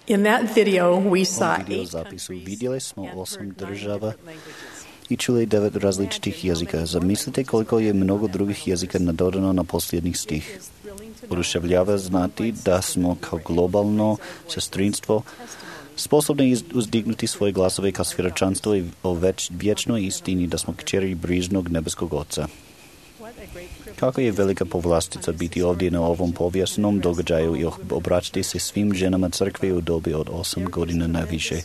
In that video, we saw videozapisu vidjeli smo 8 država i čuli 9 različitih jezika. Zamislite koliko je mnogo drugih jezika nadodano na posljednjih stih. Oduševljava znati da smo kao globalno sestrinstvo sposobni uzdignuti svoje glasove kao svjedočanstvo o vječnoj istini da smo kćeri brižnog nebeskog Oca. Kako je velika povlastica biti ovdje na ovom povijesnom događaju i obraćati se svim ženama crkve u dobi od 8 godina na više.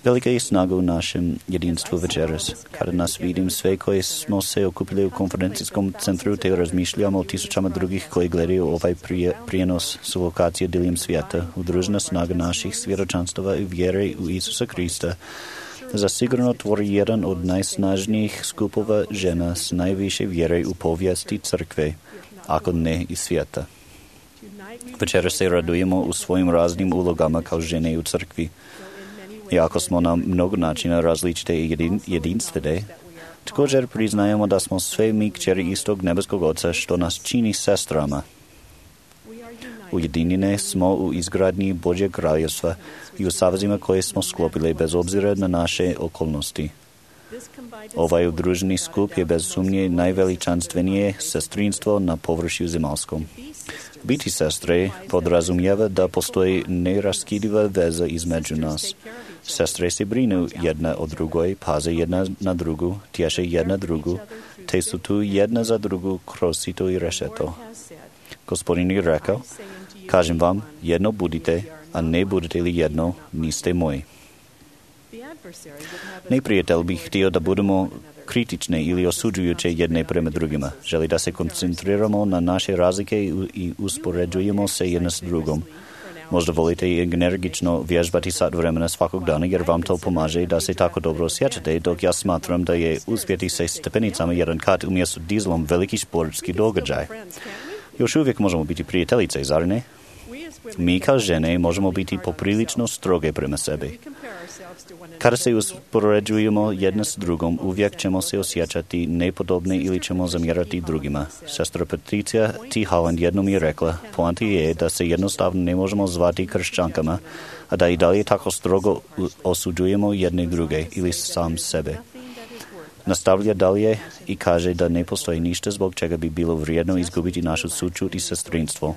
Velika je snaga u našem jedinstvu večeras. Kada nas vidim sve koji smo se okupili u konferencijskom centru te razmišljamo o tisućama drugih koji gledaju ovaj prijenos s lokacije diljem svijeta, udružena snaga naših svjedočanstava i vjere u Isusa Krista zasigurno tvori jedan od najsnažnijih skupova žena s najviše vjere u povijesti crkve, ako ne i svijeta. Večera se radujemo u svojim raznim ulogama kao žene u crkvi. Iako smo na mnogo načina različite i jedinstvene, također priznajemo da smo sve mi kćeri istog nebeskog Oca što nas čini sestrama. Ujedinjene smo u izgradnji Božjeg kraljevstva i u savezima koje smo sklopili bez obzira na naše okolnosti. Ovaj udruženi skup je bez sumnje najveličanstvenije sestrinstvo na površju zemaljskom. Biti sestre podrazumijeva da postoji neraskidiva veza između nas. Sestre se brinu jedna o drugoj, paze jedna na drugu, tješe jedna drugu, te su tu jedna za drugu kroz sito i rešeto. Gospodin je rekao, kažem vam, jedno budite, a ne budete li jedno, niste moji. Neprijatelj bi htio da budemo kritične ili osuđujuće jedne prema drugima. Želi da se koncentriramo na naše razlike i uspoređujemo se jedna s drugom. Možda volite i energično vježbati sat vremena svakog dana jer vam to pomaže da se tako dobro osjećate, dok ja smatram da je uspjeti se stepenicama jedan kat umjesto dizlom veliki sportski događaj. Još uvijek možemo biti prijateljice, zar ne? Mi kao žene možemo biti poprilično stroge prema sebi. Kada se uspoređujemo jedna s drugom, uvijek ćemo se osjećati nepodobne ili ćemo zamjerati drugima. Sestra Patricia T. Holland jednom je rekla, poanta je da se jednostavno ne možemo zvati kršćankama, a da i dalje tako strogo osuđujemo jedne druge ili sam sebe. Nastavlja dalje i kaže da ne postoji ništa zbog čega bi bilo vrijedno izgubiti našu sućut i sestrinstvo.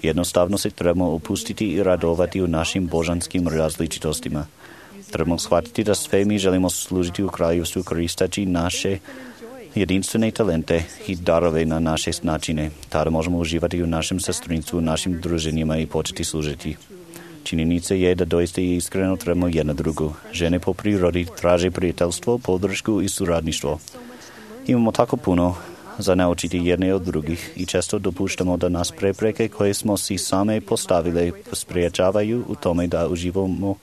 Jednostavno se trebamo opustiti i radovati u našim božanskim različitostima. Trebamo shvatiti da sve mi želimo služiti u kraljevstvu koristeći naše jedinstvene talente i darove na naše načine. Tada možemo uživati u našem sestrinstvu, u našim druženjima i početi služiti. Činjenica je da doista i iskreno trebamo jedna drugu. Žene po prirodi traže prijateljstvo, podršku i suradništvo. Imamo tako puno za naučiti jedne od drugih i često dopuštamo da nas prepreke koje smo si same postavile spriječavaju u tome da uživamo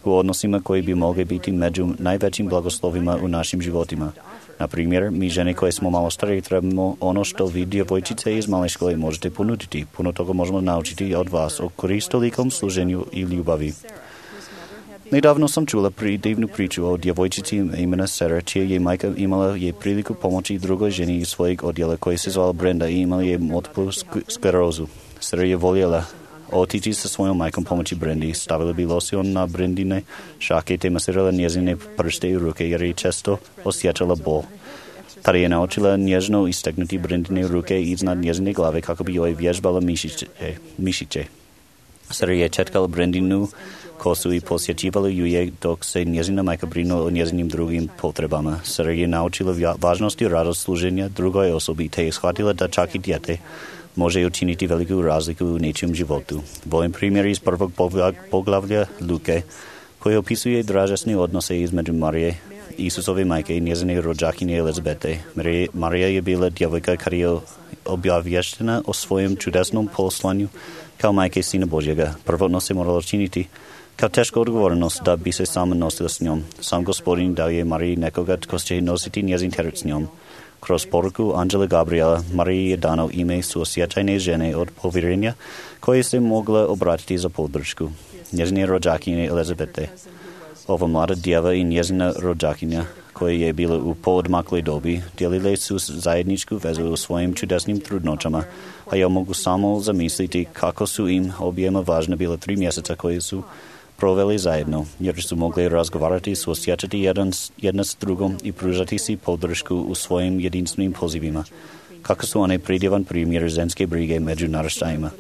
u odnosima koji bi mogli biti među najvećim blagoslovima u našim životima. Na primjer, mi žene koje smo malo starije trebamo ono što vi djevojčice iz male škole možete ponuditi. Puno toga možemo naučiti od vas o koristolikom služenju i ljubavi. Nedavno sam čula divnu priču o djevojčici imena Sarah, čija je majka imala je priliku pomoći drugoj ženi iz svojeg odjela koja se zvala Brenda i imala je multiplu sklerozu. Sarah je voljela otići sa svojom majkom pomoći Brendi, stavila bi losion na Brendine šake te masirala njezine prste i ruke jer je često osjećala bol. Tada je naučila nježno istegnuti Brendine ruke iznad njezine glave kako bi joj vježbala mišiće. Sarah je četkala Brendinu kosu i posjećivala ju je dok se njezina majka brinula o njezinim drugim potrebama. Sarah je naučila važnost i radost služenja drugoj osobi te je shvatila da čak i dijete može učiniti veliku razliku u nečijem životu. Volim primjer iz prvog poglavlja Luke, koji opisuje dražesne odnose između Marije, Isusove majke i njezine rođakinje Elizabete. Marija je bila djevojka kada je obavještena o svojem čudesnom poslanju kao majke Sina Božjega. Prvotno se moralo činiti kao teška odgovornost da bi se sama nosila s njom. Sam Gospodin dao je Mariji nekoga tko će nositi njezin teret s njom. Kroz poruku Anđela Gabriela, Mariji je dano ime suosjećajne žene od povjerenja koje se mogla obratiti za podršku. Njezine rođakinje Elizabete. Ova mlada djeva i njezina rođakinja, koja je bila u poodmakloj dobi, dijelile su zajedničku vezu u svojim čudesnim trudnoćama, a ja mogu samo zamisliti kako su im objema važna bila 3 mjeseca koje su proveli zajedno, jer su mogli razgovarati, suosjećati jedna s drugom i pružati si podršku u svojim jedinstvenim pozivima. Kako su one predjevan primjer ženske brige među naraštajima.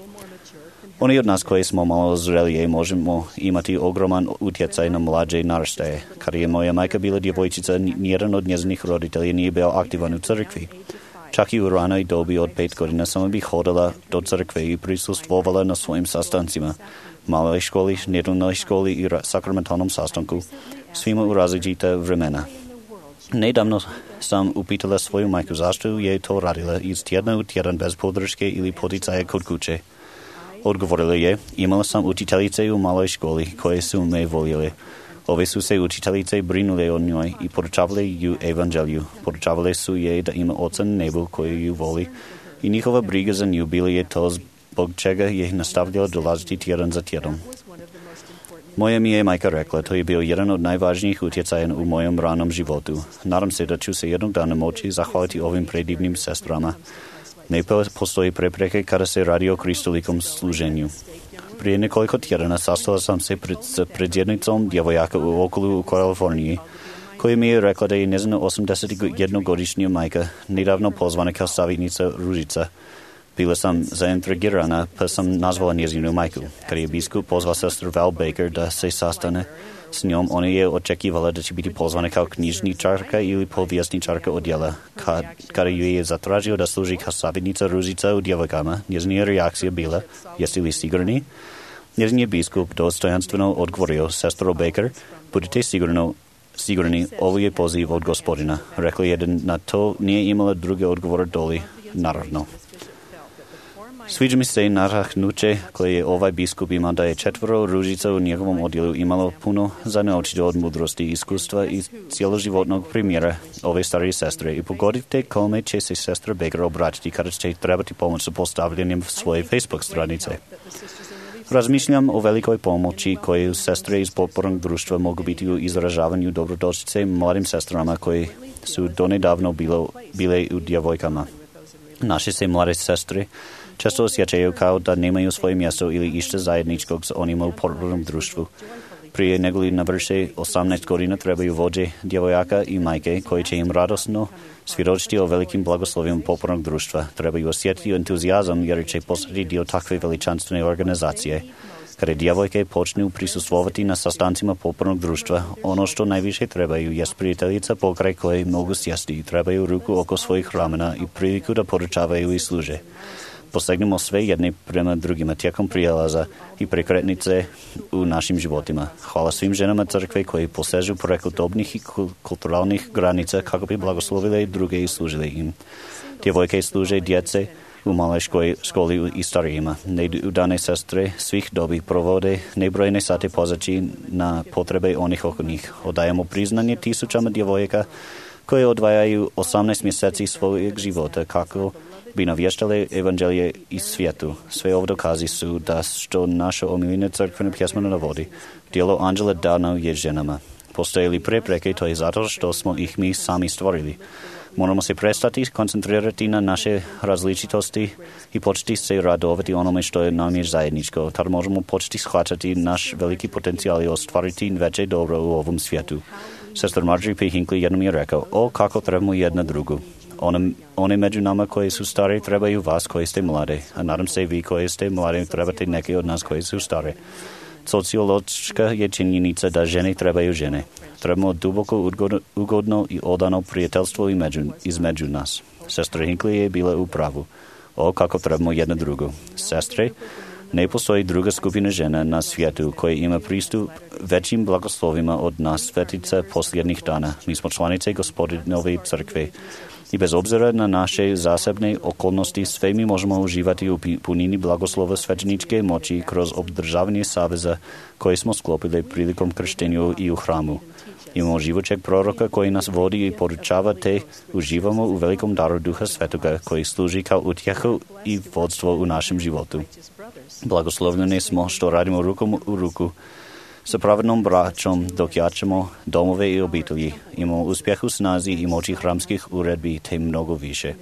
Oni od nas koji smo malo zrelije možemo imati ogroman utjecaj na mlađe naraštaje. Kada je moja majka bila djevojčica, nijedan od njezinih roditelja nije bio aktivan u crkvi. Čak i u ranoj dobi od 5 godina samo bih hodala do crkve i prisustvovala na svojim sastancima, maloj školi, nedeljnoj školi i sakramentalnom sastanku, svima u različita vremena. Nedavno sam upitala svoju majku zašto je to radila iz tjedna u tjedan bez podrške ili poticaja kod kuće. Odgovorila je, imala sam učiteljice u maloj školi koje su me voljele. Ove su se učiteljice brinule o njoj i poručavale ju evanđelju. Poručavale su je da ima oca na nebu koji ju voli i njihova briga za nju bila je to zbog čega je nastavljala dolaziti tjedan za tjedom. Moja mi je majka rekla, to je bio jedan od najvažnijih utjecaja u mojem ranom životu. Nadam se da ću se jednog dana moći zahvaliti ovim predivnim sestrama. Ne postoji prepreke kada se radi o kristolikom služenju. Prije nekoliko tjedana sastala sam se pred predsjednicom djevojaka u okolu u Kaliforniji, koja mi je rekla da je njezina 81-godišnja majka nedavno pozvana kao savjetnica Ružica. Bila sam zaintrigirana, pa sam nazvala njezinu majku. Kad je biskup pozvao sestru Val Baker da se sastane s njom, ona je očekivala da će biti pozvana kao knjižničarka ili povjesničarka odjela. Kada ju je zatražio da služi kao savjetnica Ružica u djevojkama, njezina reakcija bila, jeste li sigurni? Njezin je biskup dostojanstveno odgovorio, sestro Baker, budite sigurni, ovo je poziv od Gospodina. Rekla je da na to nije imala druge odgovore doli, naravno. Sviđa mi se nadahnuće koje je ovaj biskup imao da je 4 Ružica u njegovom odjelu imalo puno za naučiti od mudrosti, iskustva i cijeloživotnog primjera ove starije sestre. I pogodite kome će se sestra Baker obratiti kada će trebati pomoć sa postavljanjem svoje Facebook stranice. Razmišljam o velikoj pomoći koje sestre iz potpornog društva mogu biti u izražavanju dobrodošlice mladim sestrama koje su donedavno bile u djevojkama. Naše se mlade sestre često osjećaju kao da nemaju svoje mjesto ili išta zajedničkog s onima u potpornom društvu. Prije nego li navrše 18 godina trebaju vođe djevojaka i majke koji će im radosno svjedočiti o velikim blagoslovima potpornog društva. Trebaju osjetiti entuzijazam jer će postati dio takve veličanstvene organizacije. Kada djevojke počnu prisustvovati na sastancima potpornog društva, ono što najviše trebaju jest prijateljica pokraj koje mogu sjesti i trebaju ruku oko svojih ramena i priliku da poručavaju i služe. Posegnemo sve jedne prema drugima tijekom prijelaza i prekretnice u našim životima. Hvala svim ženama crkve koji posežu preko dobnih i kulturalnih granica kako bi blagoslovile druge i služile im. Djevojke služe djece u maloj školi i starijima. Neudane sestre svih dobi provode nebrojne sate pozaći na potrebe onih oko njih. Odajemo priznanje tisućama djevojaka koje odvajaju 18 mjeseci svojeg života kako bi navještale evanđelje iz svijetu. Sve ovo dokazi su da što naša omiljena crkvena pjesma navodi. Djelo anđela dano je ženama. Postoje li prepreke, to je zato što smo ih mi sami stvorili. Moramo se prestati koncentrirati na naše različitosti i početi se radovati onome što je nam je zajedničko. Tada možemo početi shvaćati naš veliki potencijal i ostvariti veće dobro u ovom svijetu. Sestor Marjorie P. Hinckley jednom je rekao, kako trebamo jedna drugu. One među nama koji su stare trebaju vas koji ste mlade, a nadam se vi koji ste mlade trebate neke od nas koji su stare. Sociološka je činjenica da žene trebaju žene. Trebamo duboko ugodno i odano prijateljstvo između nas. Sestra Hinckley je bila u pravu. Kako trebamo jedna drugu. Sestre, ne postoji druga skupina žena na svijetu koja ima pristup većim blagoslovima od nas svetica posljednjih dana. Mi smo članice Gospodinove crkve. I bez obzira na naše zasebne okolnosti, sve mi možemo uživati u punini blagoslova svećeničke moći kroz obdržavanje saveza koje smo sklopili prilikom krštenju i u hramu. Imamo živočeg proroka koji nas vodi i poručava te uživamo u velikom daru Duha Svetoga koji služi kao utjehu i vodstvo u našem životu. Blagoslovljeni smo što radimo rukom u ruku Sa pravednom braćom dok jačamo domove i obitelji, imamo uspjeh u snazi i moći hramskih uredbi te mnogo više.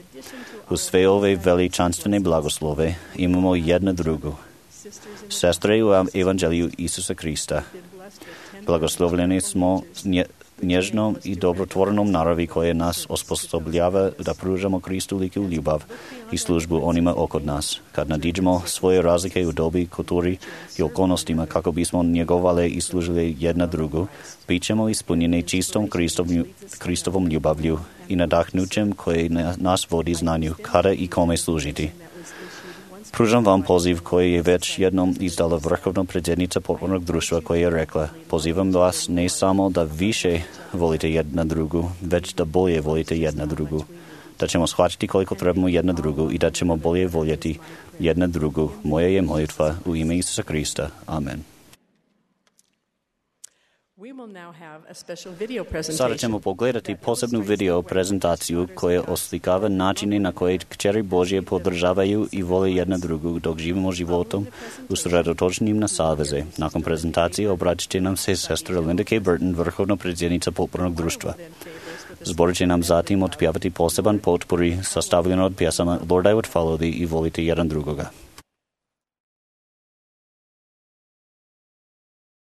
Uz sve ove veličanstvene blagoslove imamo jedna drugu. Sestre u Evanđelju Isusa Krista. Blagoslovljeni smo nježnom i dobrotvornom naravi koje nas osposobljava da pružamo Kristu liku ljubav i službu onima oko nas. Kad nadiđemo svoje razlike u dobi, kulturi i okolnostima kako bismo njegovali i služili jedna drugu, bit ćemo ispunjeni čistom Kristovom ljubavlju i nadahnućem koje nas vodi znanju kada i kome služiti. Pružam vam poziv koji je već jednom izdala vrhovna predsjednica potpornog društva koja je rekla: pozivam vas ne samo da više volite jedna drugu, već da bolje volite jedna drugu. Da ćemo shvatiti koliko trebamo jedna drugu i da ćemo bolje voljeti jedna drugu. Moja je molitva u ime Isusa Krista. Amen. Sada ćemo pogledati posebnu video prezentaciju koja oslikava načine na koje kćeri Božje podržavaju i vole jedna drugu dok živimo životom usredotočenim na saveze. Nakon prezentacije obratit će nam se sestra Linda K. Burton, vrhovna predsjednica potpornog društva. Zbor će nam zatim otpjevati poseban potpori sastavljen od pjesama Lord I Would Follow Thee i Volite jedan drugoga.